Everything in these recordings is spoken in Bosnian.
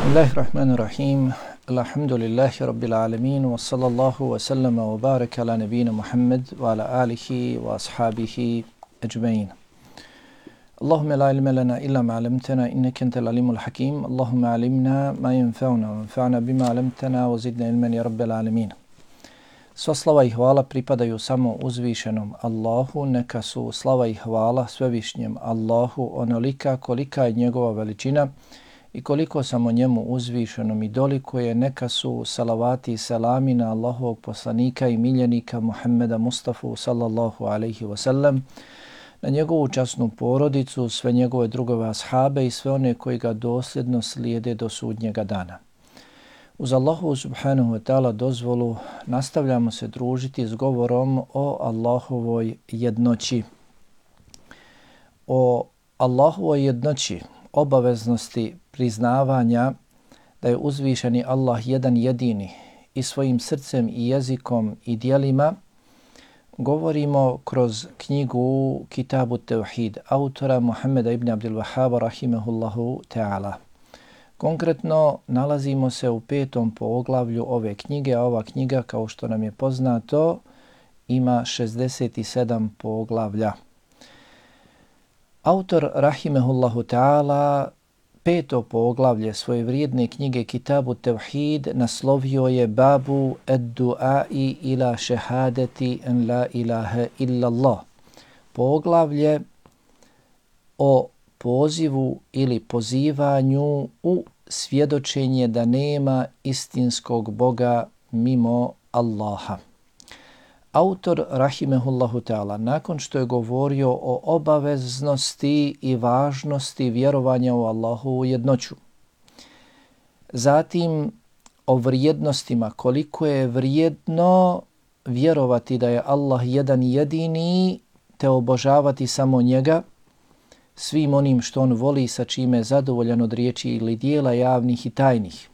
Bismillahirrahmanirrahim. Alhamdulillahi rabbil alamin wa sallallahu wa sallama wa baraka ala nabina Muhammad wa ala alihi wa ashabihi ajma'in. Allahumma la ilma lana illa ma 'allamtana innaka antal alimul hakim. Allahumma 'allimna ma yanfa'una wanfa'na bima 'allamtana wa zidna ilman ya rabbil alamin. Sva slava i hvala pripadaju samo uzvišenom Allahu, neka su slava i hvala svevišnjem Allahu onolika kolika je njegova veličina i koliko samo njemu uzvišenom i dolikuje, neka su salavati i selami na Allahovog poslanika i miljenika Muhammeda Mustafa sallallahu alaihi wasallam, na njegovu časnu porodicu, sve njegove drugove ashabe i sve one koji ga dosljedno slijede do sudnjega dana. Uz Allahu subhanahu wa ta'ala dozvolu nastavljamo se družiti s govorom o Allahovoj jednoći. O Allahovoj jednoći, obaveznosti priznavanja da je uzvišeni Allah jedan jedini i svojim srcem i jezikom i dijelima govorimo kroz knjigu Kitabu Tevhid autora Muhammeda ibn Abdul Wahhaba rahimahullahu ta'ala. Konkretno nalazimo se u 5. poglavlju ove knjige, a ova knjiga, kao što nam je poznato, ima 67 poglavlja. Autor rahimahullahu ta'ala 5. poglavlje svoje vrijedne knjige Kitabu Tevhid naslovio je Babu ad-du'ai ila šehadeti en la ilaha illallah. Poglavlje o pozivu ili pozivanju u svjedočenje da nema istinskog Boga mimo Allaha. Autor rahimehullahu ta'ala nakon što je govorio o obaveznosti i važnosti vjerovanja u Allahovu jednoću, zatim o vrijednostima, koliko je vrijedno vjerovati da je Allah jedan jedini te obožavati samo njega, svim onim što on voli i sa čime je zadovoljan od riječi ili dijela javnih i tajnih.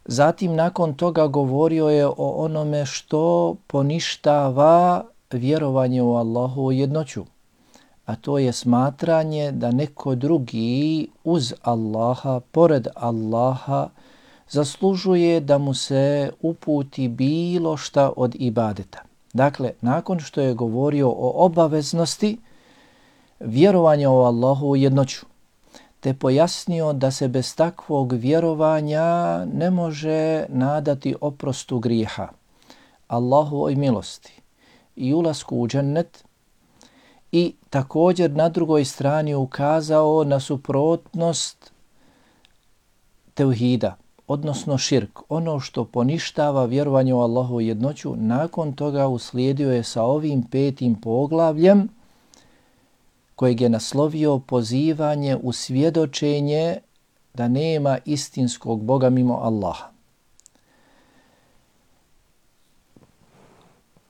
Zatim nakon toga govorio je o onome što poništava vjerovanje u Allahovu jednoću, a to je smatranje da neko drugi uz Allaha, pored Allaha, zaslužuje da mu se uputi bilo šta od ibadeta. Dakle, nakon što je govorio o obaveznosti vjerovanja u Allahovu jednoću, te pojasnio da se bez takvog vjerovanja ne može nadati oprostu grijeha, Allahovoj milosti i ulasku u džennet, i također na drugoj strani ukazao na suprotnost tevhida, odnosno širk, ono što poništava vjerovanje u Allahovu jednoću. Nakon toga uslijedio je sa ovim 5. poglavljem kojeg je naslovio pozivanje u svjedočenje da nema istinskog Boga mimo Allaha.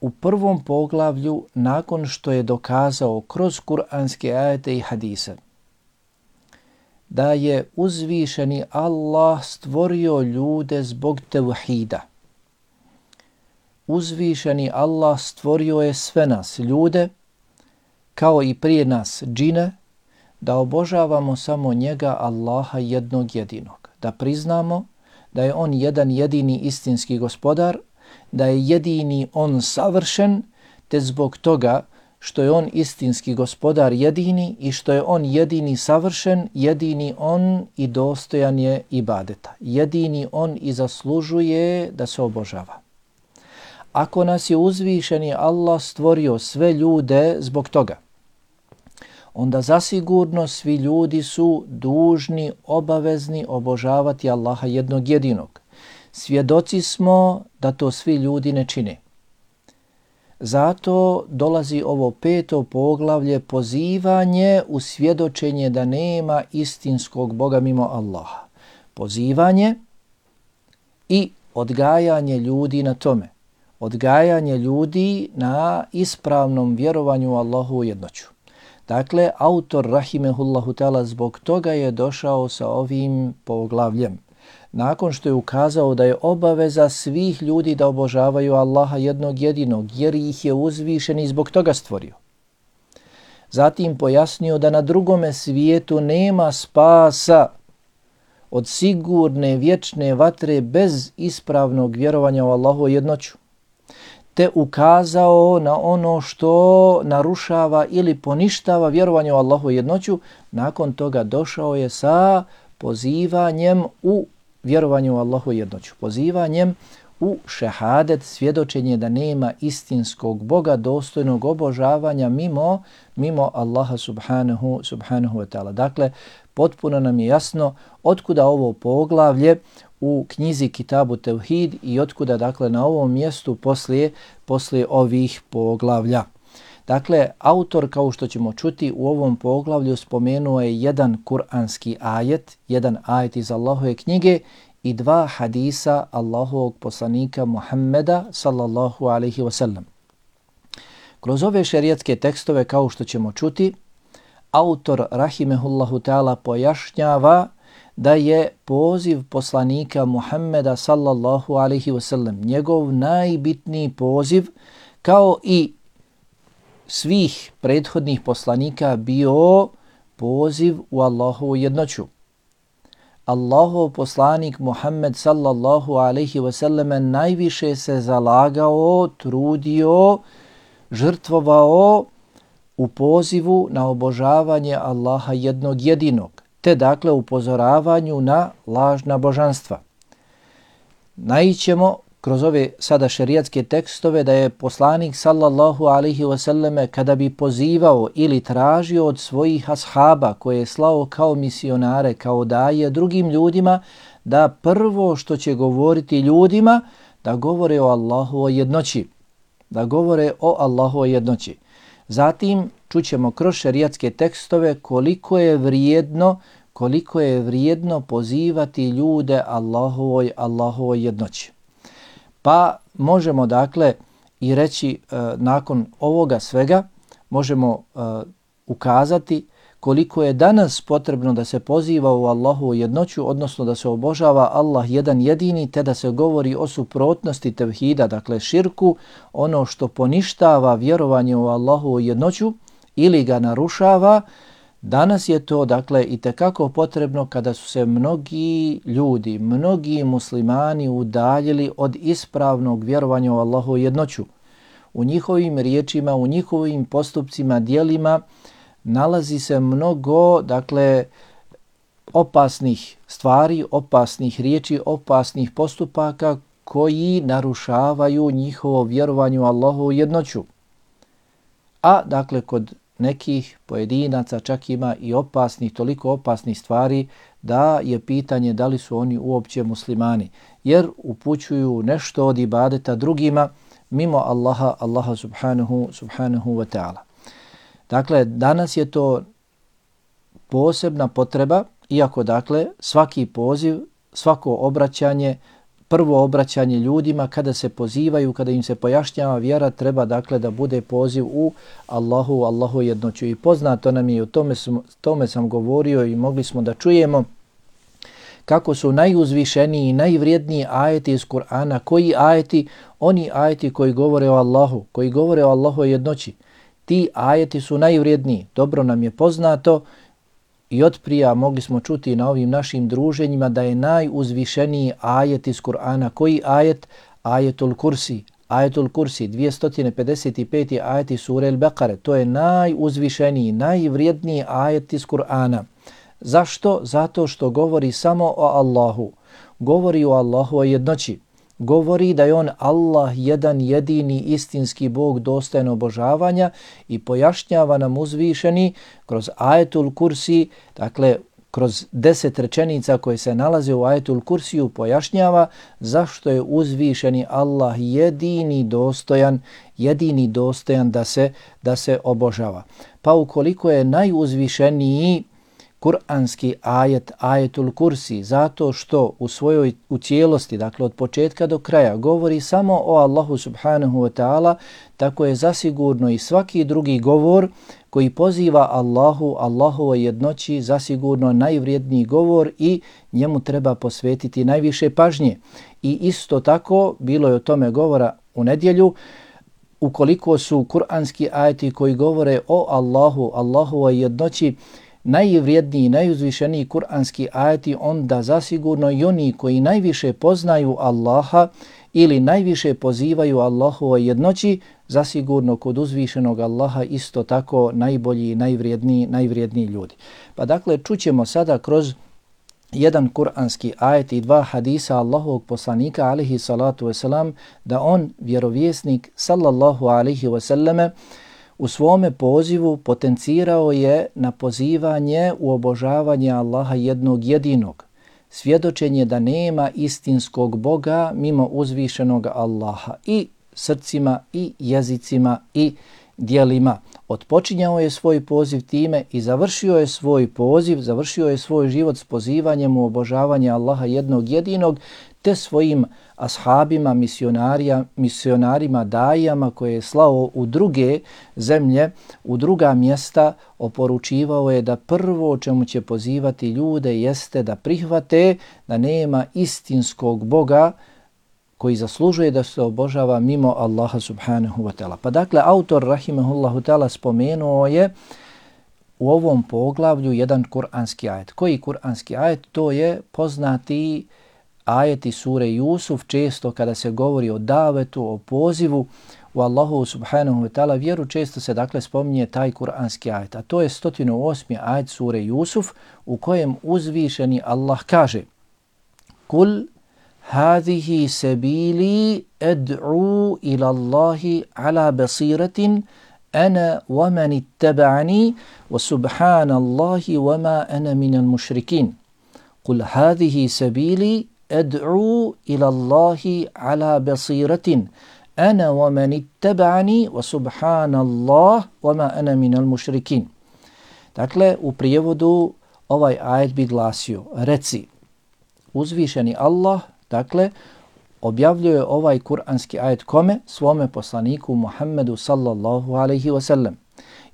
U 1. poglavlju, nakon što je dokazao kroz kuranske ajete i hadise da je uzvišeni Allah stvorio ljude zbog tevhida, uzvišeni Allah stvorio je sve nas, ljude, kao i prije nas džine, da obožavamo samo njega, Allaha jednog jedinog. Da priznamo da je on jedan jedini istinski gospodar, da je jedini on savršen, te zbog toga što je on istinski gospodar jedini i što je on jedini savršen, jedini on i dostojan je ibadeta. Jedini on i zaslužuje da se obožava. Ako nas je uzvišeni Allah stvorio sve ljude zbog toga, onda zasigurno svi ljudi su dužni, obavezni obožavati Allaha jednog jedinog. Svjedoci smo da to svi ljudi ne čine. Zato dolazi ovo 5. poglavlje, pozivanje u svjedočenje da nema istinskog Boga mimo Allaha. Pozivanje i odgajanje ljudi na tome. Odgajanje ljudi na ispravnom vjerovanju u Allahovu jednoću. Dakle, autor rahimehullahu ta'ala zbog toga je došao sa ovim poglavljem. Nakon što je ukazao da je obaveza svih ljudi da obožavaju Allaha jednog jedinog, jer ih je uzvišen i zbog toga stvorio. Zatim pojasnio da na drugome svijetu nema spasa od sigurne vječne vatre bez ispravnog vjerovanja u Allahovu jednoću, te ukazao na ono što narušava ili poništava vjerovanje u Allahovu jednoću, nakon toga došao je sa pozivanjem u vjerovanju u Allahovu jednoću, pozivanjem u šehadet, svjedočenje da nema istinskog Boga dostojnog obožavanja mimo Allaha subhanahu wa ta'ala. Dakle, potpuno nam je jasno otkuda ovo poglavlje u knjizi Kitabu Tevhid i otkuda dakle na ovom mjestu poslije ovih poglavlja. Dakle, autor, kao što ćemo čuti, u ovom poglavlju spomenuo je jedan kuranski ajet, jedan ajet iz Allahove knjige i dva hadisa Allahovog poslanika Muhammeda sallallahu alaihi wasallam. Kroz ove šerijatske tekstove, kao što ćemo čuti, autor rahimehullahu ta'ala pojašnjava da je poziv poslanika Muhammeda sallallahu alaihi wasallam njegov najbitniji poziv, kao i svih prethodnih poslanika, bio poziv u Allahovu jednoću. Allahov poslanik Muhammed sallallahu alaihi wasallam najviše se zalagao, trudio, žrtvovao u pozivu na obožavanje Allaha jednog jedinog, te dakle upozoravanju na lažna božanstva. Naićemo kroz ove sada šerijatske tekstove da je poslanik sallallahu alaihi wasallam kada bi pozivao ili tražio od svojih ashaba koje je slao kao misionare, kao daje drugim ljudima, da prvo što će govoriti ljudima, da govore o Allahovoj jednoći. Da govore o Allahovoj jednoći. Zatim čućemo kroz šerijatske tekstove koliko je vrijedno pozivati ljude Allahovoj jednoći. Pa možemo dakle i reći nakon ovoga svega, možemo ukazati koliko je danas potrebno da se poziva u Allahovu jednoću, odnosno da se obožava Allah jedan jedini, te da se govori o suprotnosti tevhida, dakle širku, ono što poništava vjerovanje u Allahovu jednoću ili ga narušava. Danas je to dakle itekako potrebno kada su se mnogi ljudi, mnogi muslimani udaljili od ispravnog vjerovanja u Allahovu jednoću. U njihovim riječima, u njihovim postupcima, djelima nalazi se mnogo dakle opasnih stvari, opasnih riječi, opasnih postupaka koji narušavaju njihovo vjerovanje u Allahovu jednoću. A dakle kod nekih pojedinaca čak ima i opasnih, toliko opasnih stvari da je pitanje da li su oni uopće muslimani, jer upućuju nešto od ibadeta drugima mimo Allaha subhanahu wa ta'ala. Dakle, danas je to posebna potreba, iako dakle svaki poziv, svako obraćanje, prvo obraćanje ljudima kada se pozivaju, kada im se pojašnjava vjera, treba dakle da bude poziv u Allahu jednoću. I poznato nam je, i o tome sam govorio i mogli smo da čujemo kako su najuzvišeniji i najvrijedniji ajeti iz Kur'ana. Koji ajeti? Oni ajeti koji govore o Allahu, koji govore o Allahu jednoći. Ti ajeti su najvrijedniji. Dobro nam je poznato i otprija mogli smo čuti na ovim našim druženjima da je najuzvišeniji ajet iz Kur'ana. Koji ajet? Ajetul Kursi. Ajetul Kursi, 255. ajeti sure Al-Baqare. To je najuzvišeniji, najvrijedniji ajet iz Kur'ana. Zašto? Zato što govori samo o Allahu. Govori o Allahovoj jednoći. Govori da je on Allah jedan jedini istinski Bog dostojan obožavanja i pojašnjava nam uzvišeni kroz ajetul Kursi, dakle kroz 10 rečenica koje se nalaze u ajetul Kursiju, pojašnjava zašto je uzvišeni Allah jedini dostojan da se obožava. Pa ukoliko je najuzvišeniji kuranski ajet, ajetul Kursi, zato što u cijelosti, dakle od početka do kraja, govori samo o Allahu subhanahu wa ta'ala, tako je zasigurno i svaki drugi govor koji poziva Allahovoj jednoći zasigurno najvrijedniji govor i njemu treba posvetiti najviše pažnje. I isto tako, bilo je o tome govora u nedjelju, ukoliko su kuranski ajeti koji govore o Allahovoj jednoći najvrijedniji, najuzvišeniji kuranski ajeti, onda zasigurno i oni koji najviše poznaju Allaha ili najviše pozivaju Allahovoj jednoći, zasigurno kod uzvišenog Allaha isto tako najbolji, najvrijedniji ljudi. Pa dakle, čućemo sada kroz jedan kuranski ajet i dva hadisa Allahovog poslanika alejhi salatu vesselam da on, vjerovjesnik sallallahu alejhi ve selleme, u svome pozivu potencirao je na pozivanje u obožavanje Allaha jednog jedinog. Svjedočenje da nema istinskog Boga mimo uzvišenog Allaha i srcima i jezicima i djelima. Otpočinjao je svoj poziv time i završio je svoj poziv, završio je svoj život s pozivanjem u obožavanje Allaha jednog jedinog, te svojim ashabima, misionarima, dajama koje je slao u druge zemlje, u druga mjesta, oporučivao je da prvo o čemu će pozivati ljude jeste da prihvate da nema istinskog Boga koji zaslužuje da se obožava mimo Allaha subhanahu wa ta'ala. Pa dakle, autor rahimahullahu ta'ala spomenuo je u ovom poglavlju jedan kuranski ajet. Koji kuranski ajet? To je poznati ajeti sure Jusuf. Često kada se govori o davetu, o pozivu u Allahu subhanahu wa ta'ala vjeru, često se dakle spominje taj kuranski ajet. A to je 108. ajet sure Jusuf u kojem uzvišeni Allah kaže: Kul هذه سبيلي أدعو إلى الله على بصيرة أنا ومن اتبعني وسبحان الله وما أنا من المشركين. قل هذه سبيلي أدعو إلى الله على بصيرة أنا ومن اتبعني وسبحان الله وما أنا من المشركين. Dakle, u prijevodu ovaj ajet bi glasio: reci, uzvišeni Allah, dakle, objavljuje ovaj kuranski ajet kome? Svome poslaniku Muhammedu sallallahu alaihi wa sallam.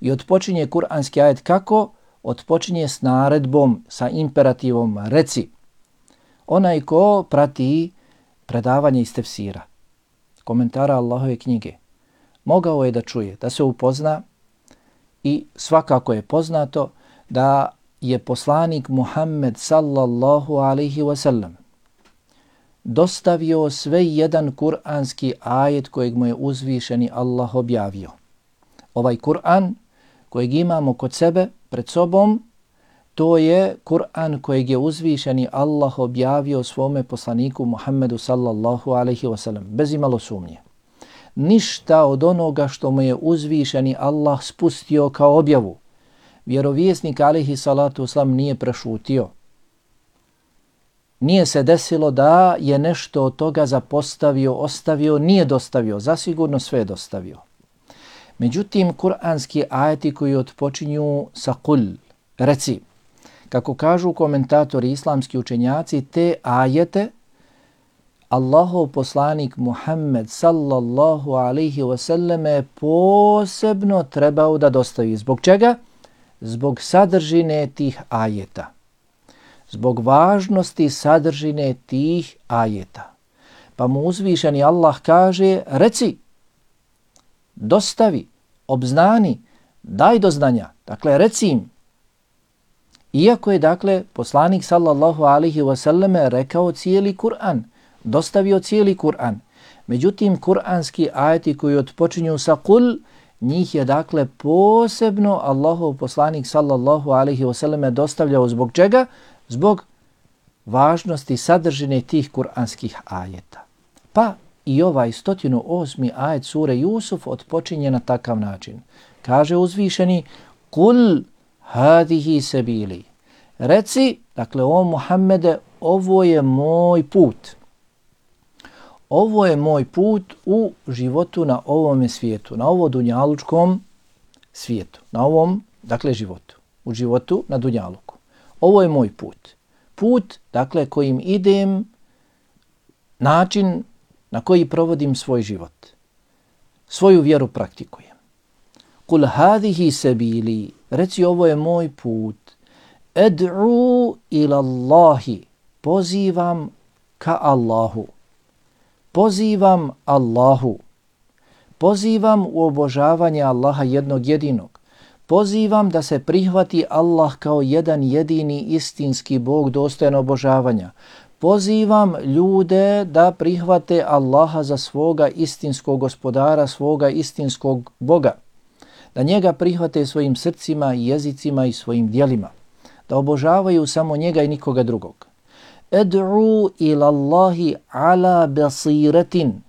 I otpočinje kuranski ajet kako? Otpočinje s naredbom, sa imperativom: reci. Onaj ko prati predavanje iz tefsira, komentara Allahove knjige, mogao je da čuje, da se upozna i svakako je poznato da je poslanik Muhammed sallallahu alaihi wa sallam dostavio sve jedan kuranski ajet kojeg mu je uzvišeni Allah objavio. Ovaj Kur'an kojeg imamo kod sebe, pred sobom, to je Kur'an kojeg je uzvišeni Allah objavio svome poslaniku Muhammedu sallallahu alaihi wa sallam, bez imalo sumnje. Ništa od onoga što mu je uzvišeni Allah spustio kao objavu, vjerovjesnik alaihi salatu wasalam nije prešutio. Nije se desilo da je nešto od toga zapostavio, ostavio, nije dostavio, zasigurno sve je dostavio. Međutim, kuranski ajeti koji otpočinju sa kul, reci, kako kažu komentatori islamski učenjaci, te ajete Allahov poslanik Muhammed sallallahu alaihi wasallam je posebno trebao da dostavi. Zbog čega? Zbog sadržine tih ajeta. Zbog važnosti sadržine tih ajeta. Pa mu uzvišeni Allah kaže: reci, dostavi, obznani, daj do znanja. Dakle, reci im. Iako je, dakle, poslanik sallallahu alaihi wasallam rekao cijeli Kur'an, dostavio cijeli Kur'an. Međutim, kur'anski ajeti koji otpočinju sa kul, njih je, dakle, posebno Allahov poslanik sallallahu alaihi wasallam dostavljao. Zbog čega? Zbog važnosti sadržine tih kuranskih ajeta. Pa i ovaj 108. ajet sure Jusuf otpočinje na takav način. Kaže uzvišeni: Kul hadihi sebili. Reci, dakle, o Muhammede, ovo je moj put. Ovo je moj put u životu na ovome svijetu, na ovo dunjalučkom svijetu, na ovom, dakle, životu, u životu na dunjaluku. Ovo je moj put. Put, dakle, kojim idem, način na koji provodim svoj život. Svoju vjeru praktikujem. Kul hadihi sebili, reci, ovo je moj put. Ed'u ila Allahi, pozivam ka Allahu. Pozivam Allahu. Pozivam u obožavanje Allaha jednog jedinog. pozivam da se prihvati Allah kao jedan jedini istinski Bog dostojan obožavanja. Pozivam ljude da prihvate Allaha za svoga istinskog gospodara, svoga istinskog Boga. Da njega prihvate svojim srcima, jezicima i svojim djelima. Da obožavaju samo njega i nikoga drugog. Ed'u ila Allahi ala basiratin.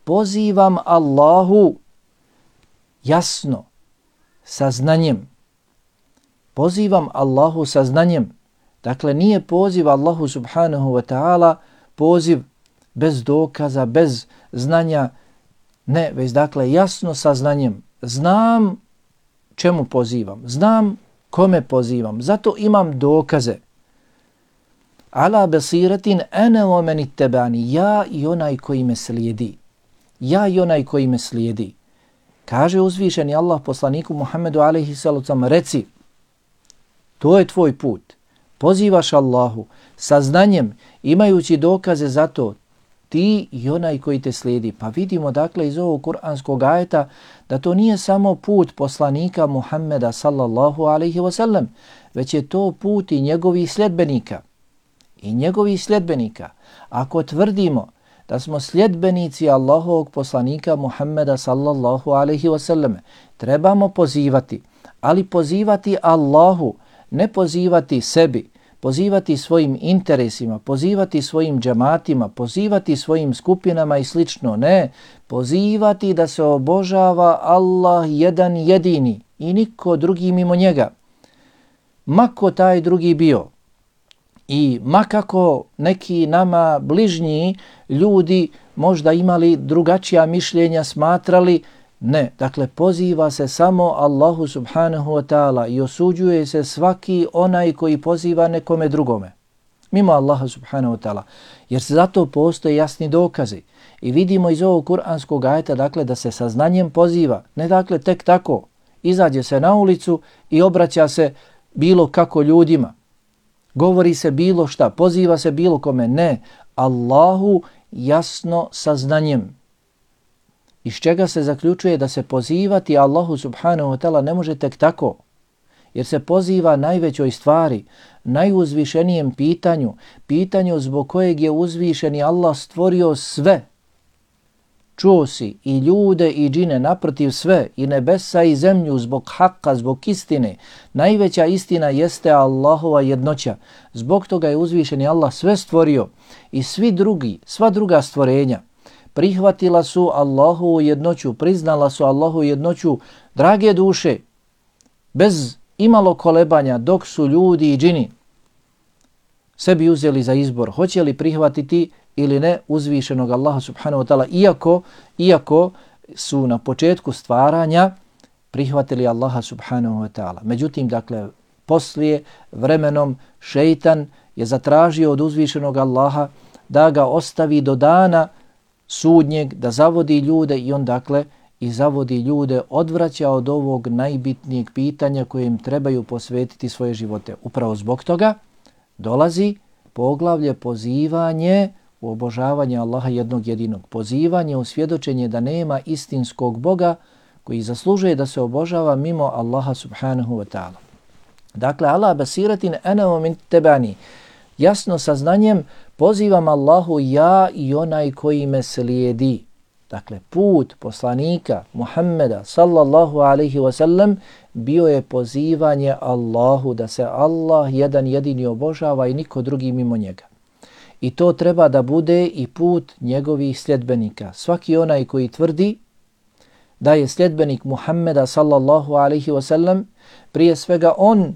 Pozivam Allahu jasno, sa znanjem. Pozivam Allahu sa znanjem. Dakle, nije poziv Allahu subhanahu wa ta'ala poziv bez dokaza, bez znanja. Ne, već dakle jasno sa znanjem. Znam čemu pozivam. Znam kome pozivam. Zato imam dokaze. Ala basiratin ana wa man ittabani. Ja i onaj koji me slijedi. Ja i onaj koji me slijedi. Kaže uzvišeni Allah poslaniku Muhammedu alejhi salatu vesselam, reci, to je tvoj put. Pozivaš Allahu sa znanjem, imajući dokaze za to, ti i onaj koji te slijedi. Pa vidimo dakle iz ovog kuranskog ajeta da to nije samo put poslanika Muhammeda sallallahu alejhi ve sellem, već je to put i njegovih sljedbenika. I njegovih sljedbenika. Ako tvrdimo da smo sljedbenici Allahovog poslanika Muhammeda sallallahu alejhi ve sellem, trebamo pozivati, ali pozivati Allahu, ne pozivati sebi, pozivati svojim interesima, pozivati svojim džematima, pozivati svojim skupinama i slično. Ne, pozivati da se obožava Allah jedan jedini i niko drugi mimo njega. Mako taj drugi bio i makako neki nama bližnji ljudi možda imali drugačija mišljenja, smatrali, ne, dakle poziva se samo Allahu subhanahu wa ta'ala i osuđuje se svaki onaj koji poziva nekome drugome, mimo Allaha subhanahu wa ta'ala, jer se zato postoje jasni dokazi. I vidimo iz ovog kuranskog ajeta dakle da se sa znanjem poziva, ne dakle tek tako, izađe se na ulicu i obraća se bilo kako ljudima, govori se bilo šta, poziva se bilo kome, ne, Allahu jasno sa znanjem. Iz čega se zaključuje da se pozivati Allahu subhanahu wa ta'ala ne može tek tako, jer se poziva najvećoj stvari, najuzvišenijem pitanju, pitanju zbog kojeg je uzvišeni Allah stvorio sve. Čuo si i ljude i džine, naprotiv sve, i nebesa i zemlju zbog hakka, zbog istine. Najveća istina jeste Allahova jednoća. Zbog toga je uzvišeni Allah sve stvorio i sva druga stvorenja prihvatila su Allahovu jednoću, priznala su Allahovu jednoću, drage duše, bez imalo kolebanja, dok su ljudi i džini sebi uzeli za izbor, hoće li prihvatiti ili ne uzvišenog Allaha subhanahu wa ta'ala, iako su na početku stvaranja prihvatili Allaha subhanahu wa ta'ala. Međutim, dakle, poslije vremenom šejtan je zatražio od uzvišenog Allaha da ga ostavi do dana sudnjeg, da zavodi ljude i on dakle i zavodi ljude, odvraća od ovog najbitnijeg pitanja koje im trebaju posvetiti svoje živote. Upravo zbog toga dolazi poglavlje pozivanje u obožavanje Allaha jednog jedinog. Pozivanje u svjedočenje da nema istinskog Boga koji zaslužuje da se obožava mimo Allaha subhanahu wa ta'ala. Dakle, ala basiratin ana wa man ittabani. Jasno sa znanjem pozivam Allahu ja i onaj koji me slijedi. Dakle, put poslanika Muhammeda sallallahu alaihi wa sallam bio je pozivanje Allahu, da se Allah jedan jedini obožava i niko drugi mimo njega. I to treba da bude i put njegovih sljedbenika. Svaki onaj koji tvrdi da je sljedbenik Muhammeda sallallahu alaihi wa sallam, prije svega on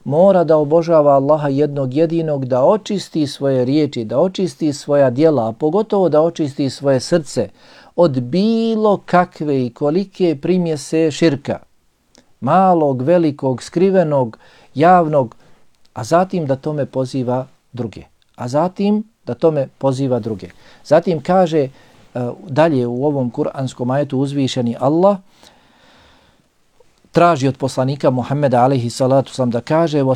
mora da obožava Allaha jednog jedinog, da očisti svoje riječi, da očisti svoja djela, a pogotovo da očisti svoje srce od bilo kakve i kolike primjese širka, malog, velikog, skrivenog, javnog, a zatim da tome poziva druge. Zatim kaže dalje u ovom kuranskom ajetu uzvišeni Allah, traži od poslanika Muhammeda alejhi salatu vesselam da kaže wa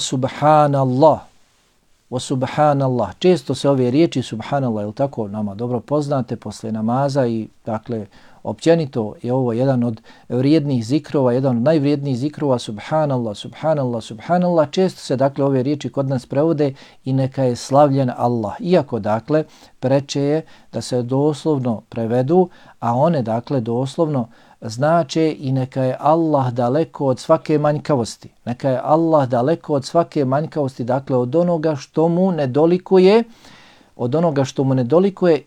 subhanallah. Često se ove riječi subhanallah, je tako, nama dobro poznate posle namaza i dakle Općenito je ovo jedan od vrijednih zikrova, jedan od najvrijednijih zikrova, subhanallah, subhanallah, subhanallah. Često se dakle ove riječi kod nas prevode i neka je slavljen Allah. Iako dakle preče je da se doslovno prevedu, a one dakle doslovno znače i neka je Allah daleko od svake manjkavosti. Neka je Allah daleko od svake manjkavosti, dakle od onoga što mu nedolikuje,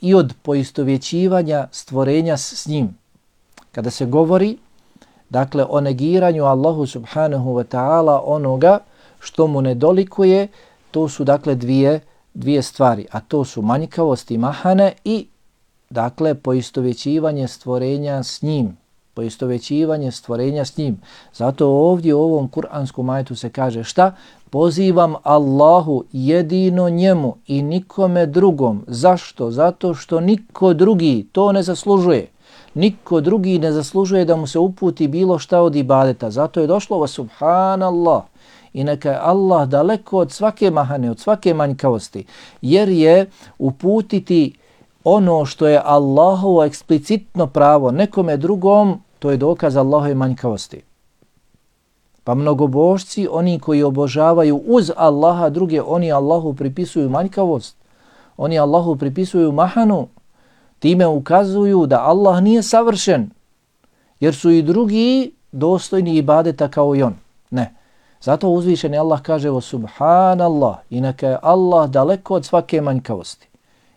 i od poistovjećivanja stvorenja s njim. Kada se govori dakle o negiranju Allahu subhanahu wa ta'ala onoga što mu nedolikuje, to su dakle dvije stvari, a to su manjkavost i mahane i dakle poistovjećivanje stvorenja s njim. Zato ovdje u ovom kuranskom ajetu se kaže šta? Pozivam Allahu jedino njemu i nikome drugom. Zašto? Zato što niko drugi to ne zaslužuje. Niko drugi ne zaslužuje da mu se uputi bilo šta od ibadeta. Zato je došlo ovo subhanallah. I neka je Allah daleko od svake mahane, od svake manjkavosti. Jer je uputiti ono što je Allahovo eksplicitno pravo nekome drugom, to je dokaz Allahove manjkavosti. Pa mnogobožci, oni koji obožavaju uz Allaha druge, oni Allahu pripisuju manjkavost, oni Allahu pripisuju mahanu, time ukazuju da Allah nije savršen, jer su i drugi dostojni ibadeta kao i on. Ne. Zato uzvišeni Allah kaže o subhanallah i neka je Allah daleko od svake manjkavosti.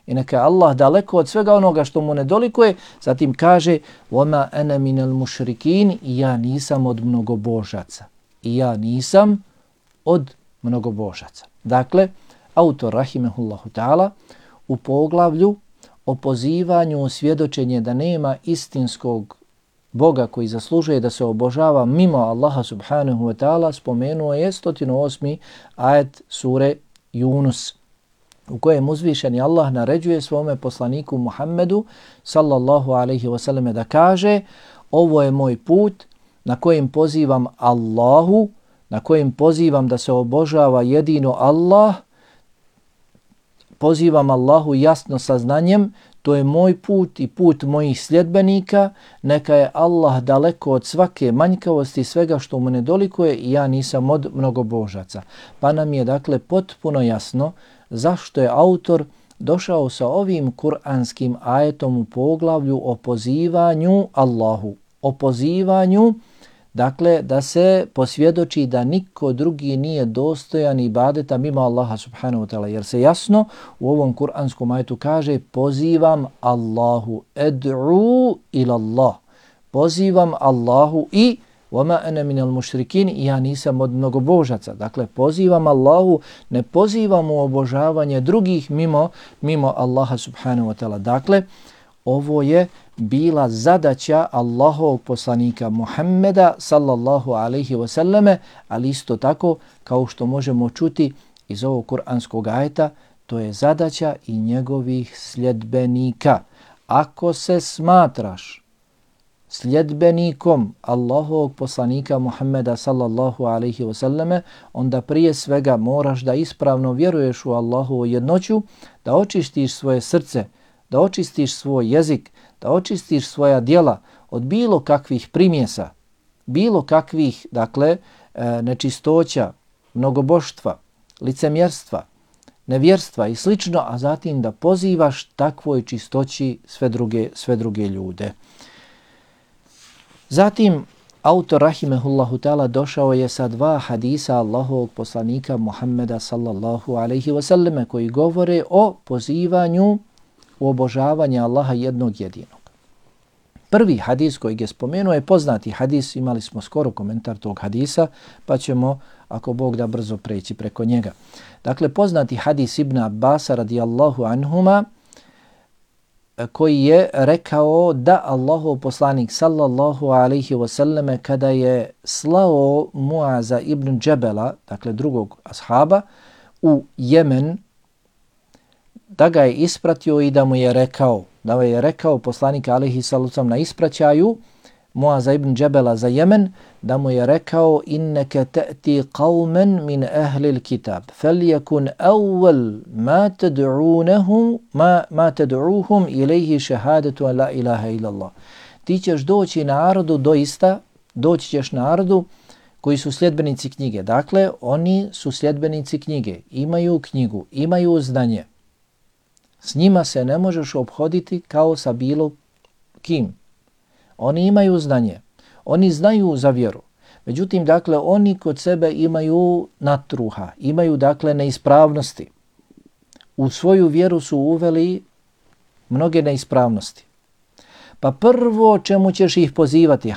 I neka je Allah daleko od svega onoga što mu nedolikuje. Zatim kaže وَمَا أَنَا مِنَ الْمُشْرِكِينَ i ja nisam od mnogobožaca. Dakle, autor rahimehullahu ta'ala u poglavlju o pozivanju svjedočenje da nema istinskog Boga koji zaslužuje da se obožava mimo Allaha subhanahu wa ta'ala spomenuo je 108. ajet sure Yunus, u kojem uzvišeni Allah naređuje svome poslaniku Muhammedu sallallahu alaihi wasallam da kaže: ovo je moj put na kojem pozivam Allahu, na kojem pozivam da se obožava jedino Allah, pozivam Allahu jasno sa znanjem, to je moj put i put mojih sljedbenika, neka je Allah daleko od svake manjkavosti, svega što mu nedolikuje i ja nisam od mnogobožaca. Pa nam je dakle potpuno jasno zašto je autor došao sa ovim kuranskim ajetom u poglavlju o pozivanju Allahu, o pozivanju, dakle da se posvjedoči da niko drugi nije dostojan ibadeta mimo Allaha subhanahu wa ta'ala, jer se jasno u ovom kuranskom ajetu kaže pozivam Allahu, ed'u ila Allah, pozivam Allahu i وَمَا أَنَا مِنَ الْمُشْرِكِينَ i ja nisam od mnogobožaca. Dakle, pozivam Allahu, ne pozivam u obožavanje drugih mimo Allaha subhanahu wa ta'ala. Dakle, ovo je bila zadaća Allahovog poslanika Muhammeda sallallahu alaihi wasallame, ali isto tako, kao što možemo čuti iz ovog kuranskog ajeta, to je zadaća i njegovih sljedbenika. Ako se smatraš sljedbenikom Allahovog poslanika Muhammeda sallallahu alaihi wasallame, onda prije svega moraš da ispravno vjeruješ u Allahovu jednoću, da očistiš svoje srce, da očistiš svoj jezik, da očistiš svoja djela od bilo kakvih primjesa, bilo kakvih, dakle, nečistoća, mnogoboštva, licemjerstva, nevjerstva i slično, a zatim da pozivaš takvoj čistoći sve druge ljude. Zatim, autor rahimehullahu ta'ala došao je sa 2 hadisa Allahovog poslanika Muhammeda sallallahu alaihi wasallam koji govore o pozivanju u obožavanje Allaha jednog jedinog. Prvi hadis koji je spomenuo je poznati hadis, imali smo skoro komentar tog hadisa, pa ćemo, ako Bog da, brzo preći preko njega. Dakle, poznati hadis Ibn Abbasa radijallahu anhuma, koji je rekao da Allahov poslanik sallallahu alaihi wasallam kada je slao Muaza ibn Džebela, dakle drugog ashaba, u Jemen, da ga je ispratio i da mu je rekao poslanik alaihi sallam na ispraćaju Muaza ibn Džebela za Jemen, da mu je rekao inneke te'ti qawmen min ahlil kitab, feljekun awwal ma tad'uhum ilaihi šehadetu an la ilaha illallah. ti ćeš doći narodu, doista doći ćeš narodu koji su sljedbenici knjige. Dakle, oni su sljedbenici knjige, imaju knjigu, imaju znanje. S njima se ne možeš ophoditi kao sa bilo kim. Oni imaju znanje, oni znaju za vjeru. Međutim, dakle, oni kod sebe imaju natruha, imaju, dakle, neispravnosti. U svoju vjeru su uveli mnoge neispravnosti. Pa prvo čemu ćeš ih pozivati,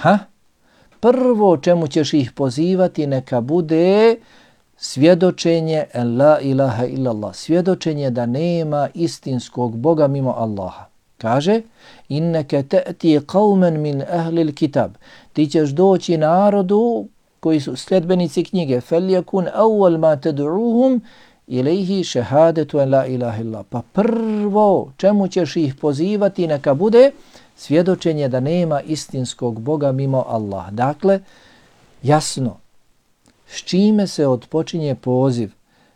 Prvo čemu ćeš ih pozivati neka bude svjedočenje la ilaha illallah, svjedočenje da nema istinskog Boga mimo Allaha. Kaže, inneke te'ti qawmen min ahlil kitab, ti ćeš doći narodu koji su sljedbenici knjige, feljekun awwal ma tad'uhum ilaihi šehadetu en la ilaha illallah. Pa prvo čemu ćeš ih pozivati neka bude svjedočenje da nema istinskog Boga mimo Allah. Dakle, jasno, s čime se odpočinje poziv,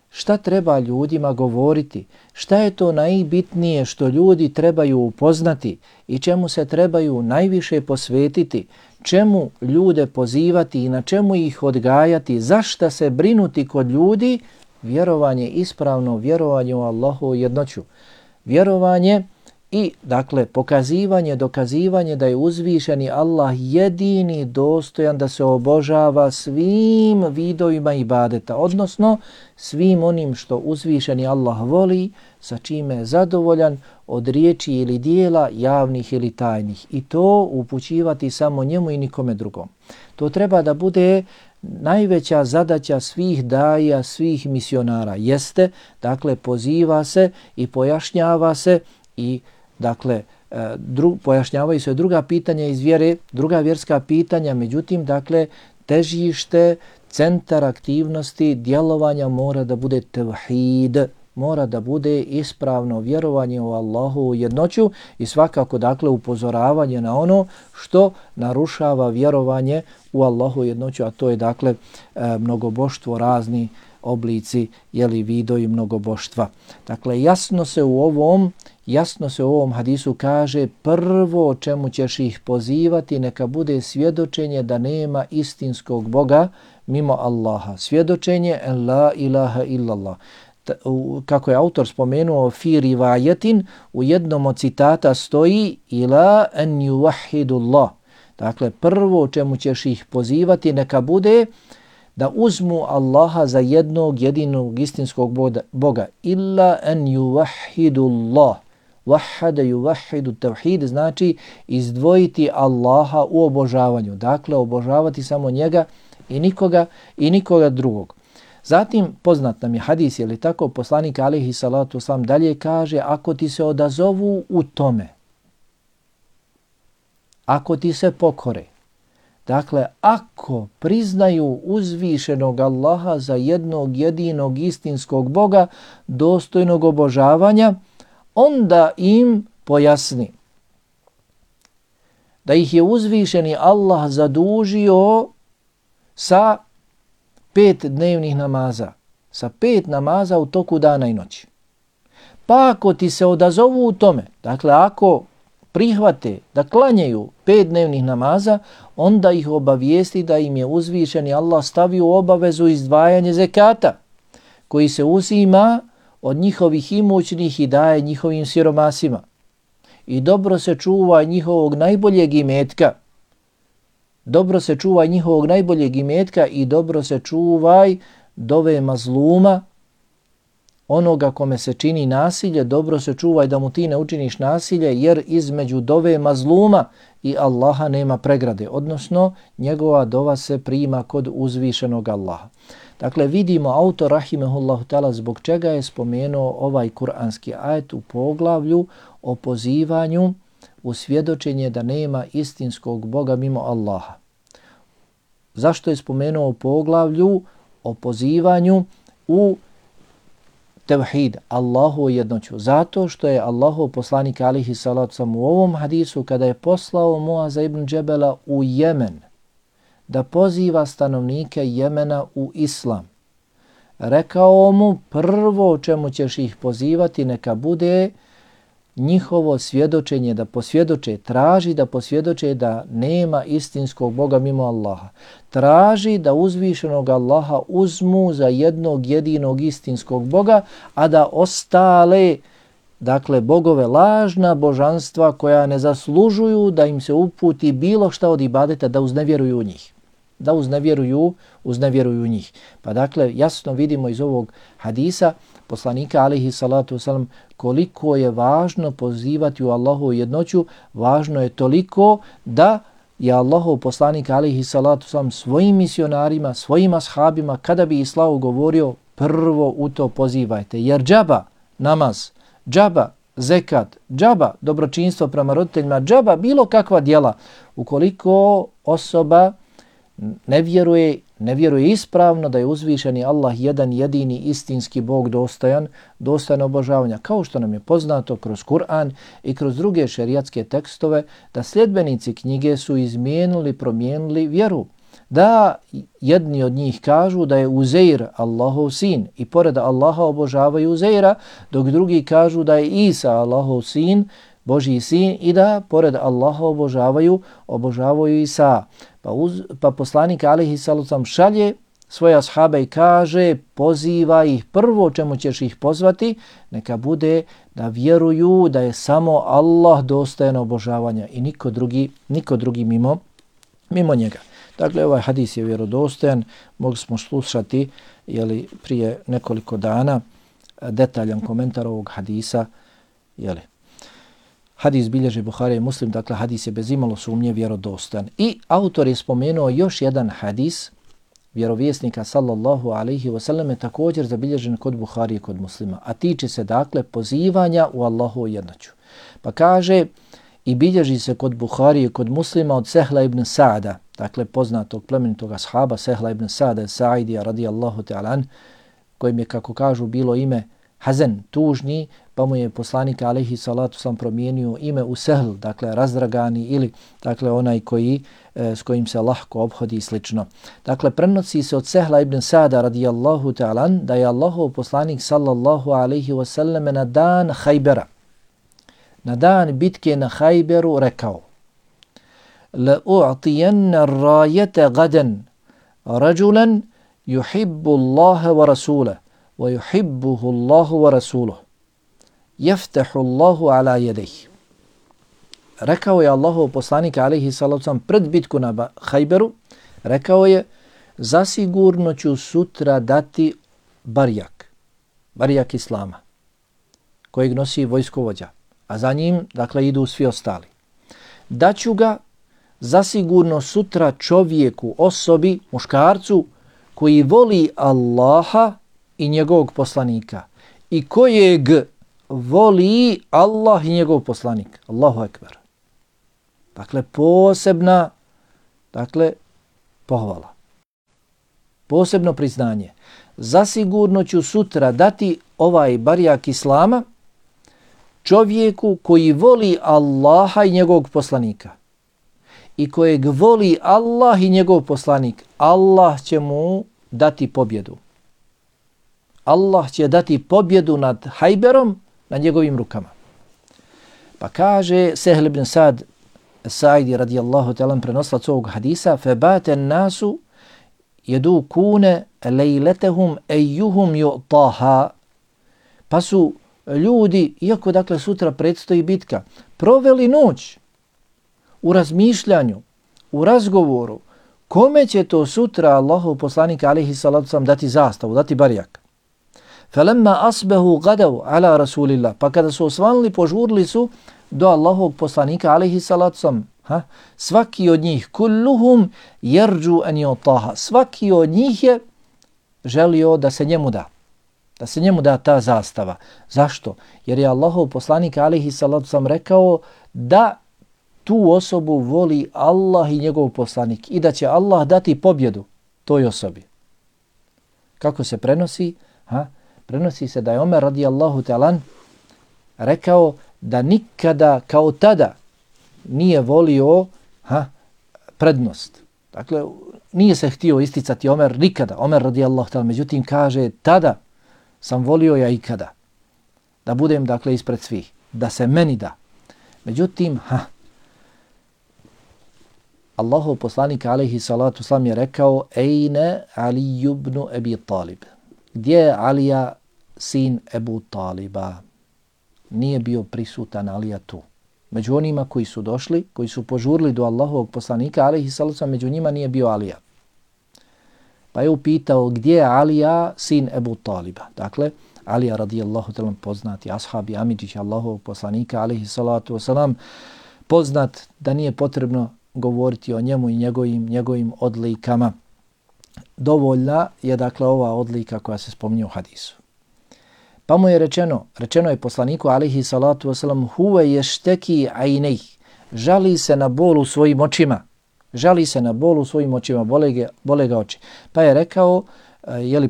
šta treba ljudima govoriti, šta je to najbitnije što ljudi trebaju upoznati i čemu se trebaju najviše posvetiti, čemu ljude pozivati i na čemu ih odgajati, zašta se brinuti kod ljudi, vjerovanje, ispravno vjerovanje u Allahu jednoću. Vjerovanje i, dakle, pokazivanje, dokazivanje da je uzvišeni Allah jedini dostojan da se obožava svim vidovima ibadeta, odnosno svim onim što uzvišeni Allah voli, sa čime je zadovoljan od riječi ili dijela, javnih ili tajnih. I to upućivati samo njemu i nikome drugom. To treba da bude najveća zadaća svih daja, svih misionara. Jeste, dakle, poziva se i pojašnjava se i dakle, pojašnjavaju se druga pitanja iz vjere, druga vjerska pitanja, međutim, dakle, težište, centar aktivnosti, djelovanja mora da bude tevhid, mora da bude ispravno vjerovanje u Allahu jednoću i svakako, dakle, upozoravanje na ono što narušava vjerovanje u Allahu jednoću, a to je, dakle, mnogoboštvo, razni oblici, vidovi mnogoboštva. Dakle, jasno se u ovom hadisu kaže, prvo o čemu ćeš ih pozivati neka bude svjedočenje da nema istinskog Boga mimo Allaha. Svjedočenje la ilaha illallah. Kako je autor spomenuo, fi rivajetin, u jednom od citata stoji ila an yuvahhidullah. Dakle, prvo o čemu ćeš ih pozivati neka bude da uzmu Allaha za jednog jedinog istinskog Boga. Illa an yuvahhidullah. Wahhada yuvahhidu tawhid znači izdvojiti Allaha u obožavanju. Dakle, obožavati samo njega i nikoga drugog. Zatim, poznat nam je hadis, je li tako, poslanik alejhi salatu vesselam dalje kaže, ako ti se odazovu u tome, ako ti se pokore, dakle, ako priznaju uzvišenog Allaha za jednog jedinog istinskog Boga, dostojnog obožavanja, onda im pojasni da ih je uzvišeni Allah zadužio sa 5 dnevnih namaza, sa 5 namaza u toku dana i noći. Pa ako ti se odazovu u tome, dakle ako prihvate da klanjaju 5 dnevnih namaza, onda ih obavijesti da im je uzvišeni Allah stavio obavezu izdvajanje zekata, koji se uzima od njihovih imućnih i daje njihovim siromasima. I dobro se čuva njihovog najboljeg imetka. Dobro se čuvaj njihovog najboljeg imetka i dobro se čuvaj dove mazluma, onoga kome se čini nasilje, dobro se čuvaj da mu ti ne učiniš nasilje, jer između dove mazluma i Allaha nema pregrade, odnosno njegova dova se prima kod uzvišenog Allaha. Dakle, vidimo autor rahimehullahu ta'ala zbog čega je spomenuo ovaj kuranski ajet u poglavlju o pozivanju u svjedočenje da nema istinskog Boga mimo Allaha. Zašto je spomenuo u poglavlju o pozivanju u tevhid, Allahu jednoću? Zato što je Allahov poslanik alejhi salatu vesselam u ovom hadisu kada je poslao Muaza ibn Džebela u Jemen da poziva stanovnike Jemena u islam, rekao mu prvo o čemu ćeš ih pozivati neka bude njihovo svjedočenje, da posvjedoče, traži da posvjedoče da nema istinskog Boga mimo Allaha. Traži da uzvišenog Allaha uzmu za jednog jedinog istinskog Boga, a da ostale, dakle, bogove, lažna božanstva koja ne zaslužuju da im se uputi bilo šta od ibadeta, da uznevjeruju u njih. Da uznevjeruju njih. Pa dakle, jasno vidimo iz ovog hadisa poslanika alejhi salatu vesselam koliko je važno pozivati u Allahovu jednoću. Važno je toliko da je Allahov poslanik alejhi salatu vesselam svojim misionarima, svojim ashabima, kada bi islamu govorio, prvo u to pozivajte. Jer džaba namaz, džaba zekat, džaba dobročinstvo prema roditeljima, džaba bilo kakva djela, ukoliko osoba ne vjeruje ispravno da je uzvišeni Allah jedan jedini istinski Bog dostojan obožavanja. Kao što nam je poznato kroz Kur'an i kroz druge šerijatske tekstove, da sljedbenici knjige su izmijenili, promijenili vjeru. Da jedni od njih kažu da je Uzeir Allahov sin i pored Allaha obožavaju Uzeira, dok drugi kažu da je Isa Allahov sin, Božji sin, i da pored Allaha obožavaju Isa. Pa poslanik alejhi salatu vesselam šalje svoje ashabe i kaže, poziva ih, prvo čemu ćeš ih pozvati, neka bude da vjeruju da je samo Allah dostojan obožavanja i niko drugi mimo njega. Dakle, ovaj hadis je vjerodostojan, mogli smo slušati prije nekoliko dana detaljan komentar ovog hadisa. Hadis bilježi Buharija i Muslim, dakle hadis je bez imalo sumnje vjerodostojan. I autor je spomenuo još jedan hadis vjerovjesnika sallallahu alaihi wasallam, također zabilježen kod Buharije i kod Muslima, a tiče se dakle pozivanja u Allahovu jednoću. Pa kaže, i bilježi se kod Buharije i kod Muslima od Sehla ibn Sa'da, dakle poznatog plemenitog ashaba Sehla ibn Sa'da Sa'idija radijallahu ta'ala, kojim je, kako kažu, bilo ime Hazen, tužni, pa mu je poslanik alejhi salatu vesselam promijenio ime u Sehl, dakle razdragani, ili dakle onaj s kojim se lahko ophodi i slično. Dakle, prenosi se od Sehla ibn Sa'da radijallahu ta'ala da je Allahov poslanik sallallahu alejhi ve sellem na dan Hajbera, na dan bitke na Hajberu rekao: La u'tiyanna ar-rayata gadan rajulan yuhibbu Allaha wa rasulahu wa yuhibbuhu Allahu wa rasuluhu yaftahu Allahu ala yadayhi. Rekao je Allahov poslanik alejhi salatu vesselam pred bitku na Hajberu, rekao je: zasigurno ću sutra dati barjak islama kojeg nosi vojskovođa, a za njim dakle idu svi ostali. Daću ga zasigurno sutra čovjeku, osobi, muškarcu koji voli Allaha i njegovog poslanika i kojeg voli Allah i njegov poslanik. Allahu ekber. Dakle, posebna pohvala. Posebno priznanje. Zasigurno ću sutra dati ovaj barjak islama čovjeku koji voli Allaha i njegovog poslanika i kojeg voli Allah i njegov poslanik. Allah će mu dati pobjedu. Allah će dati pobjedu nad Hajberom na njegovim rukama. Pa kaže Sehl ibn Sa'd Sa'idi radijallahu ta'ala prenoslac ovog hadisa: Febate nasu jedukune lejletehum ejuhum ju'taha. Pa su ljudi, iako dakle sutra predstoji bitka, proveli noć u razmišljanju, u razgovoru, kome će to sutra Allahov poslanik alejhi salatu vesselam dati zastavu, dati barjak. Falamma asbahu gadaw ala rasulillah. Pa kada su osvanuli, požurili su do Allahovog poslanika alejhi salatu vesselam. Svaki od njih, kulluhum yarju an yutaha. Svaki od njih je želio da se njemu da. Da se njemu da ta zastava. Zašto? Jer je Allahov poslanik alejhi salatu vesselam rekao da tu osobu voli Allah i njegov poslanik i da će Allah dati pobjedu toj osobi. Kako se prenosi? Prenosi se da je Omer radijallahu ta'ala rekao da nikada kao tada nije volio prednost. Dakle, nije se htio isticati Omer nikada. Omer radijallahu ta'ala, međutim kaže tada sam volio ja ikada da budem dakle ispred svih. da se meni da. Međutim, Allahov poslanik alejhi salatu selam je rekao: "Ejne Ali ibn Abi Talib?" Gdje je Alija, sin Ebu Taliba? Nije bio prisutan Alija tu. Među onima koji su došli, koji su požurili do Allahovog poslanika alejhi salatu selam, među njima nije bio Alija. Pa je upitao: gdje je Alija, sin Ebu Taliba? Dakle, Alija radijallahu ta'ala poznati ashabi amidžić Allahovog poslanika alejhi salatu selam, poznat da nije potrebno govoriti o njemu i njegovim odlikama. Dovoljna je dakle ova odlika koja se spominje u hadisu. Pa mu je rečeno je poslaniku alejhi salatu vesselam: huve yashtaki aynayh, žali se na bol u svojim očima. Žali se na bol u svojim očima, bole ga oči. Pa je rekao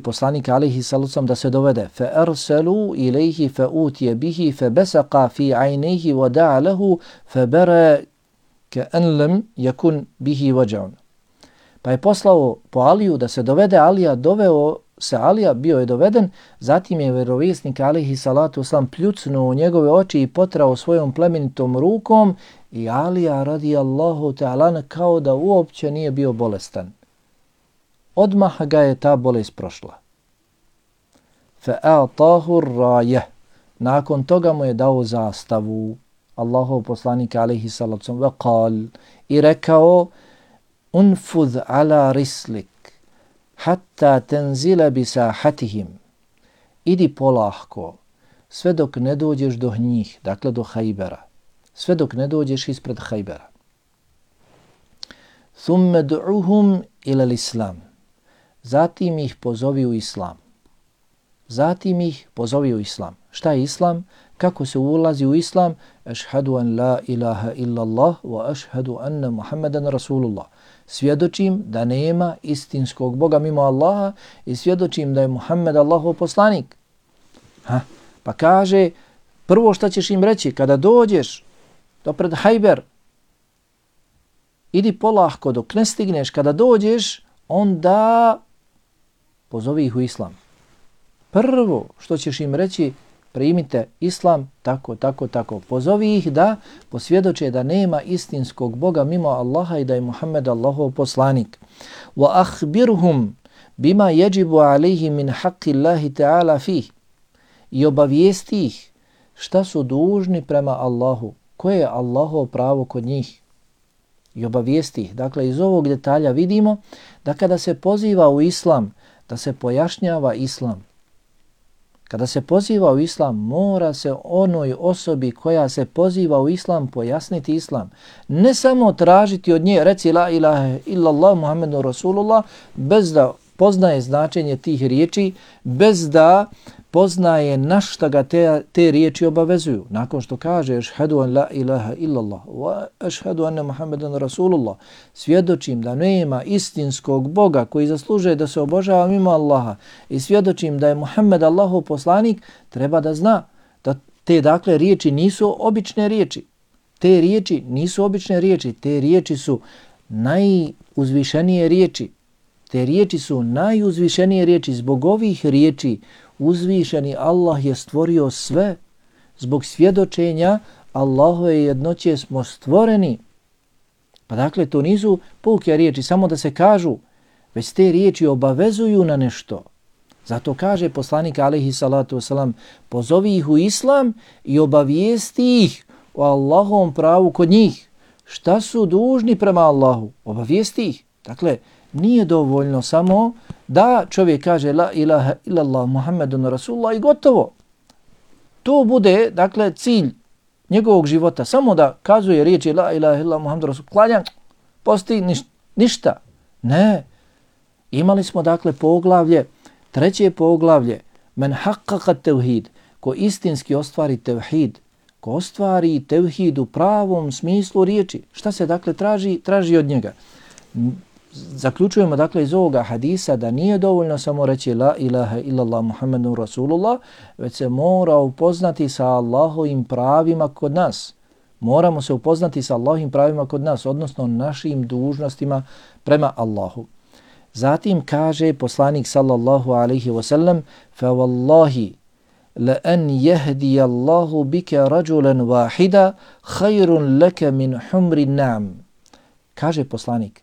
poslanik alejhi salatu vesselam da se dovede: fa arsalu ilayhi fa utiya bihi fa basaqa fi aynayhi wa da'a lahu fa bara ka'an lam yakun bihi waj'un. Pa je poslao po Aliju da se dovede Alija, doveo se Alija, bio je doveden, zatim je vjerovjesnik alejhi salatu vesselam pljucnuo u njegove oči i potrao svojom plemenitom rukom i Alija radijallahu ta'ala kao da uopće nije bio bolestan. Odmah ga je ta bolest prošla. Fa'atahu ar-rayah. Nakon toga mu je dao zastavu. Allahov poslanik alejhi salatu vesselam qal i rekao: unfudh ala rislik hatta tenzila bi sahatihim. Idi polahko sve dok ne dođeš do njih, dakle do Hajbera. Sve dok ne dođeš ispred Hajbera. Thumme du'uhum ila l'islam. Zatim ih pozovi u islam. Šta je islam? Kako se ulazi u islam? Ašhadu an la ilaha illallah wa ašhadu anna Muhammadan Rasulullah. Svjedočim da nema istinskog Boga mimo Allaha i svjedočim da je Muhammed Allahov poslanik. Pa kaže, prvo šta ćeš im reći kada dođeš do pred Hajber, idi polahko dok ne stigneš, kada dođeš, onda pozovi ih u islam. Prvo što ćeš im reći, primite islam, tako. Pozovi ih da posvjedoče da nema istinskog Boga mimo Allaha i da je Muhammed Allahov poslanik. Wa akhbirhum bima yajibu alayhi min haqqi Allahi ta'ala fih. I obavijesti ih šta su dužni prema Allahu, koje je Allahovo pravo kod njih. I obavijesti ih. Dakle, iz ovog detalja vidimo da kada se poziva u islam, da se pojašnjava islam. Kada se poziva u islam, mora se onoj osobi koja se poziva u islam pojasniti islam. Ne samo tražiti od nje, reci la ilaha illallah Muhammedu Rasulullah, bez da poznaje značenje tih riječi, bez da poznaje na šta ga te riječi obavezuju. Nakon što kaže ašhadu an la ilaha illallah wa ašhadu anna Muhammedan Rasulullah, svjedočim da nema istinskog Boga koji zaslužuje da se obožava mimo Allaha i svjedočim da je Muhammed Allahov poslanik, treba da zna da te dakle riječi nisu obične riječi. Te riječi su najuzvišenije riječi. Zbog ovih riječi uzvišeni Allah je stvorio sve. Zbog svjedočenja Allahove jednoće smo stvoreni. Pa dakle, to nisu puke riječi, samo da se kažu, već te riječi obavezuju na nešto. Zato kaže poslanik alejhi salatu vesselam: pozovi ih u islam i obavijesti ih o Allahovom pravu kod njih. Šta su dužni prema Allahu? Obavijesti ih. Dakle, nije dovoljno samo da čovjek kaže la ilaha illallah Muhammedun Rasulullah i gotovo. To bude, dakle, cilj njegovog života. Samo da kazuje riječi la ilaha illallah Muhammedun Rasulullah, klanja, posti, ništa. Ne. Imali smo, dakle, treće poglavlje, men haqqaqa tevhid, ko istinski ostvari tevhid, ko ostvari tevhid u pravom smislu riječi. Šta se, dakle, traži od njega? Zaključujemo dakle iz ovoga hadisa da nije dovoljno samo reći la ilaha illallah Muhammedun Rasulullah, već se mora upoznati sa Allahovim pravima kod nas. Moramo se upoznati sa Allahovim pravima kod nas, odnosno našim dužnostima prema Allahu. Zatim kaže poslanik sallallahu alaihi wasallam: fa wallahi la an yahdi Allahu bika rajulan wahida khairun laka min humri na'am. Kaže poslanik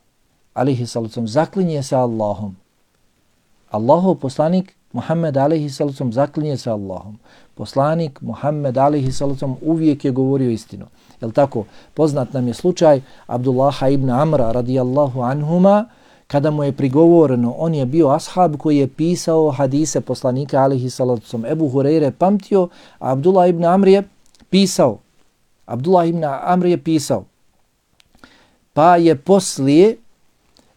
alejhi salatu zaklinje se Allahom. Allahov poslanik Muhammed alejhi salatu zaklinje se Allahom. Poslanik Muhammed alejhi salatu uvijek je govorio istinu. Jel tako? Poznat nam je slučaj Abdullaha ibn Amra radijallahu anhuma, kada mu je prigovoreno, on je bio ashab koji je pisao hadise poslanika alejhi salatu vesselam. Ebu Hurajre pamtio, a Abdullah ibn Amr je pisao. Pa je poslije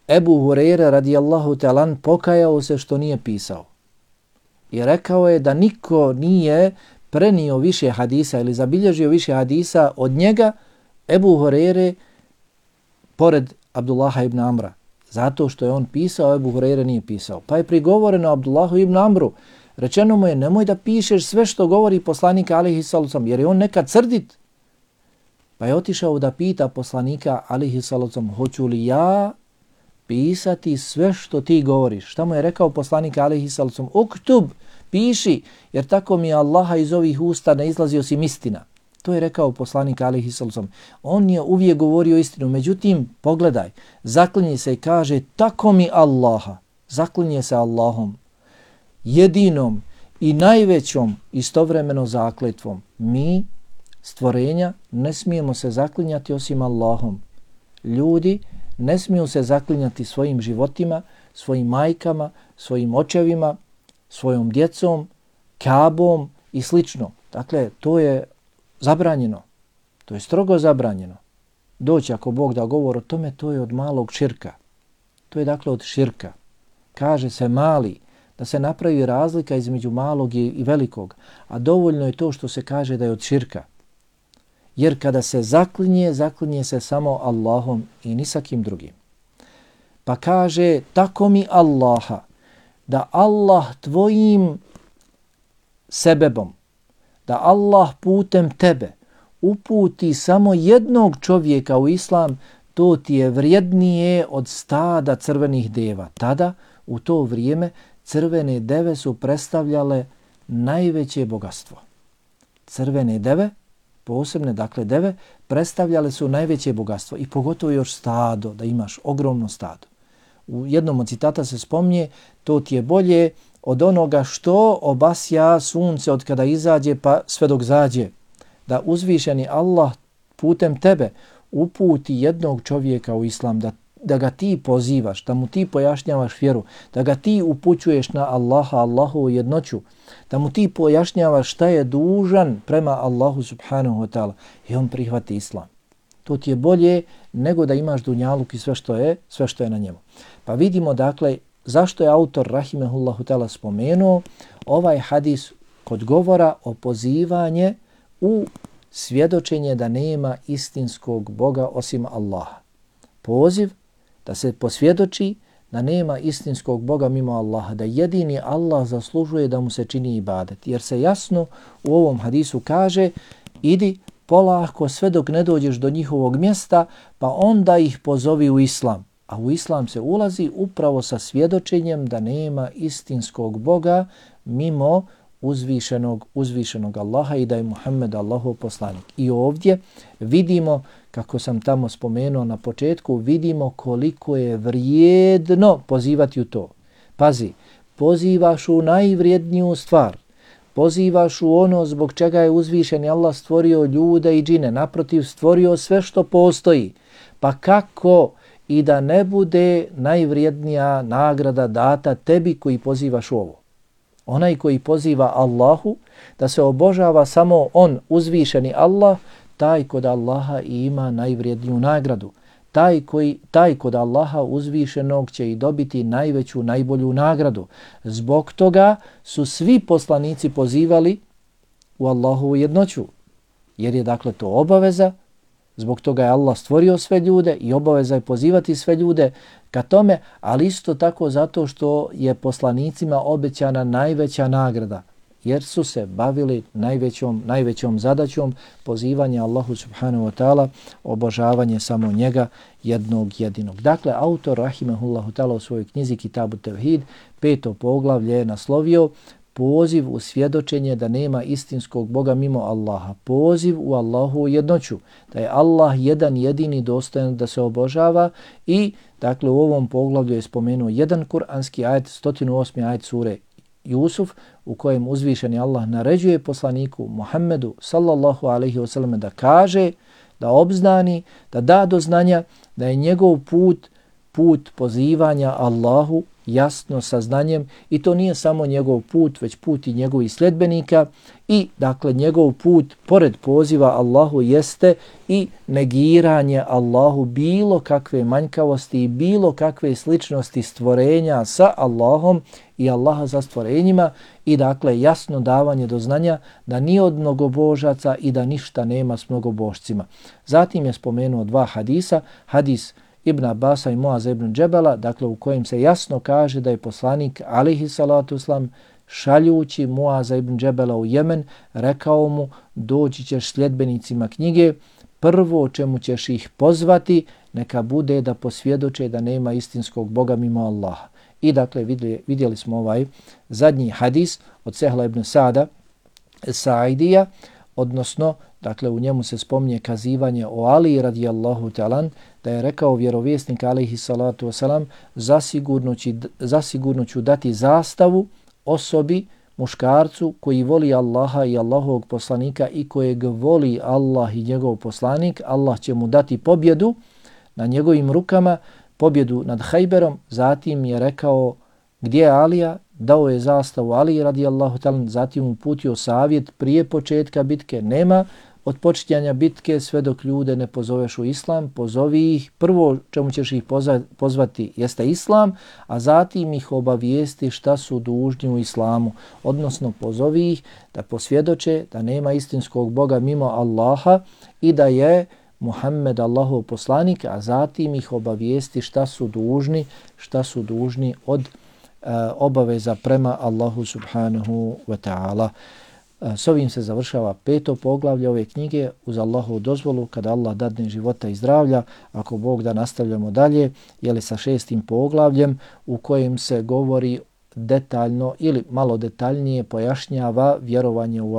Ebu Hurajre radijallahu ta'ala pokajao se što nije pisao. I rekao je da niko nije prenio više hadisa ili zabilježio više hadisa od njega, Ebu Hurajre, pored Abdullaha ibn Amra. Zato što je on pisao, Ebu Hurajre nije pisao. Pa je prigovoreno Abdullahu ibn Amru. Rečeno mu je, nemoj da pišeš sve što govori poslanik alejhi salatu vesselam, jer je on nekad srdit. Pa je otišao da pita poslanika alejhi salatu vesselam, hoću li ja pisati sve što ti govoriš? Šta mu je rekao poslanik alejhi salatu vesselam? Uktub, piši, jer tako mi je Allaha iz ovih usta ne izlazi osim istina. To je rekao poslanik alejhi salatu vesselam. On je uvijek govorio istinu, međutim, pogledaj, zaklinje se i kaže, tako mi Allaha, zaklinje se Allahom, jedinom i najvećom istovremeno zakletvom. Mi, stvorenja, ne smijemo se zaklinjati osim Allahom. Ljudi ne smiju se zaklinjati svojim životima, svojim majkama, svojim očevima, svojom djecom, Kabom i slično. Dakle, to je zabranjeno. To je strogo zabranjeno. Doći ako Bog da govor o tome, to je od malog širka. To je dakle od širka. Kaže se mali, da se napravi razlika između malog i velikog, a dovoljno je to što se kaže da je od širka. Jer kada se zaklinje se samo Allahom i ni sa kim drugim. Pa kaže, tako mi Allaha, da Allah tvojim sebebom, da Allah putem tebe uputi samo jednog čovjeka u islam, to ti je vrijednije od stada crvenih deva. Tada, u to vrijeme, crvene deve su predstavljale najveće bogatstvo. Crvene deve, posebne dakle deve, predstavljale su najveće bogatstvo i pogotovo još stado, da imaš ogromno stado. U jednom od citata se spominje, to ti je bolje od onoga što obasja sunce od kada izađe pa sve dok zađe. Da uzvišeni Allah putem tebe uputi jednog čovjeka u islam, da ga ti pozivaš, da mu ti pojašnjavaš vjeru, da ga ti upućuješ na Allaha, Allahovu jednoću, da mu ti pojašnjavaš šta je dužan prema Allahu subhanahu wa ta'ala i on prihvati islam. To ti je bolje nego da imaš dunjaluk i sve što je na njemu. Pa vidimo dakle zašto je autor rahimehullahu ta'ala spomenuo ovaj hadis kod govora o pozivanje u svjedočenje da nema istinskog Boga osim Allaha. Poziv da se posvjedoči da nema istinskog Boga mimo Allaha, da jedini Allah zaslužuje da mu se čini ibadet. Jer se jasno u ovom hadisu kaže, idi polako sve dok ne dođeš do njihovog mjesta, pa onda ih pozovi u islam. A u islam se ulazi upravo sa svjedočenjem da nema istinskog Boga mimo uzvišenog Allaha i da je Muhammed Allahov poslanik. I ovdje vidimo, kako sam tamo spomenuo na početku, vidimo koliko je vrijedno pozivati u to. Pazi, pozivaš u najvrijedniju stvar, pozivaš u ono zbog čega je uzvišeni Allah stvorio ljude i džine, naprotiv stvorio sve što postoji. Pa kako i da ne bude najvrijednija nagrada data tebi koji pozivaš u ovo? Onaj koji poziva Allahu, da se obožava samo on, uzvišeni Allah, taj kod Allaha i ima najvrijedniju nagradu. Taj kod Allaha uzvišenog će i dobiti najveću, najbolju nagradu. Zbog toga su svi poslanici pozivali u Allahovu jednoću. Jer je dakle to obaveza, zbog toga je Allah stvorio sve ljude i obaveza je pozivati sve ljude ka tome, ali isto tako zato što je poslanicima obećana najveća nagrada, jer su se bavili najvećom zadaćom pozivanja Allahu subhanahu wa ta'ala, obožavanje samo njega jednog jedinog. Dakle, autor rahimehullahu ta'ala u svojoj knjizi Kitabu Tevhid, 5. poglavlje je naslovio poziv u svjedočenje da nema istinskog Boga mimo Allaha, poziv u Allahu jednoću, da je Allah jedan jedini dostojan da se obožava i dakle u ovom poglavlju je spomenuo jedan kuranski ajet, 108. ajet sure Jusuf, u kojem uzvišeni Allah naređuje poslaniku Muhammedu sallallahu alaihi wasallam da kaže, da obznani, da da do znanja da je njegov put pozivanja Allahu jasno saznanjem i to nije samo njegov put, već put i njegovih sljedbenika i dakle njegov put pored poziva Allahu jeste i negiranje Allahu bilo kakve manjkavosti i bilo kakve sličnosti stvorenja sa Allahom i Allaha za stvorenjima i dakle jasno davanje do znanja da ni od mnogobožaca i da ništa nema s mnogobožcima. Zatim je spomenuo dva hadisa, hadis Ibn Abasa i Muaza ibn Džebela, dakle u kojem se jasno kaže da je poslanik alejhi salatu vesselam šaljući Muaza ibn Džebela u Jemen rekao mu doći ćeš sljedbenicima knjige, prvo čemu ćeš ih pozvati neka bude da posvjedoče da nema istinskog Boga mimo Allaha. I dakle vidjeli smo ovaj zadnji hadis od Sehla ibn Sa'idija, odnosno dakle u njemu se spominje kazivanje o Ali radijallahu ta'ala da je rekao vjerovjesnik alejhi salatu wasalam zasigurno ću dati zastavu osobi, muškarcu koji voli Allaha i Allahovog poslanika i kojeg voli Allah i njegov poslanik. Allah će mu dati pobjedu na njegovim rukama, pobjedu nad Hajberom. Zatim je rekao gdje je Alija, dao je zastavu Ali radijallahu ta'ala, zatim uputio savjet prije početka bitke, nema od počinjanja bitke sve dok ljude ne pozoveš u islam, pozovi ih, prvo čemu ćeš ih pozvati jeste islam, a zatim ih obavijesti šta su dužni u islamu, odnosno pozovi ih da posvjedoče da nema istinskog Boga mimo Allaha i da je Muhammed Allahov poslanik, a zatim ih obavijesti šta su dužni od obaveza prema Allahu subhanahu wa ta'ala. S ovim se završava 5. poglavlje ove knjige uz Allahovu dozvolu kada Allah dadne života i zdravlja. Ako Bog da nastavljamo dalje, jeli sa 6. poglavljem u kojem se govori detaljno ili malo detaljnije pojašnjava vjerovanje u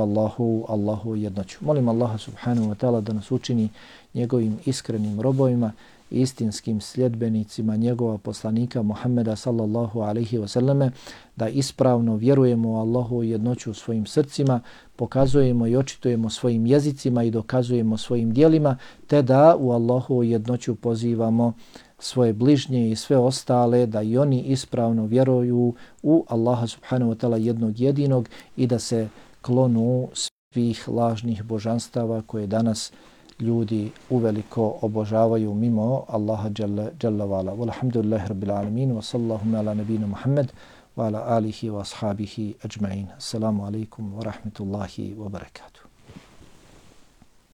Allahu jednoću. Molim Allaha subhanahu wa ta'ala da nas učini njegovim iskrenim robovima, istinskim sljedbenicima njegova poslanika Muhammeda sallallahu alaihi wasallame, da ispravno vjerujemo u Allahu jednoću u svojim srcima, pokazujemo i očitujemo svojim jezicima i dokazujemo svojim dijelima, te da u Allahu jednoću pozivamo svoje bližnje i sve ostale da i oni ispravno vjeruju u Allaha subhanahu wa ta'ala jednog jedinog i da se klonu svih lažnih božanstava koje danas ljudi uveliko obožavaju mimo Allaha jalla vala. Walhamdulillahi rabbil alamin wa sallallahu ala nabina Muhammad wa ala alihi wa ashabihi ajma'in. Assalamu alaikum wa rahmatullahi wa barakatuh.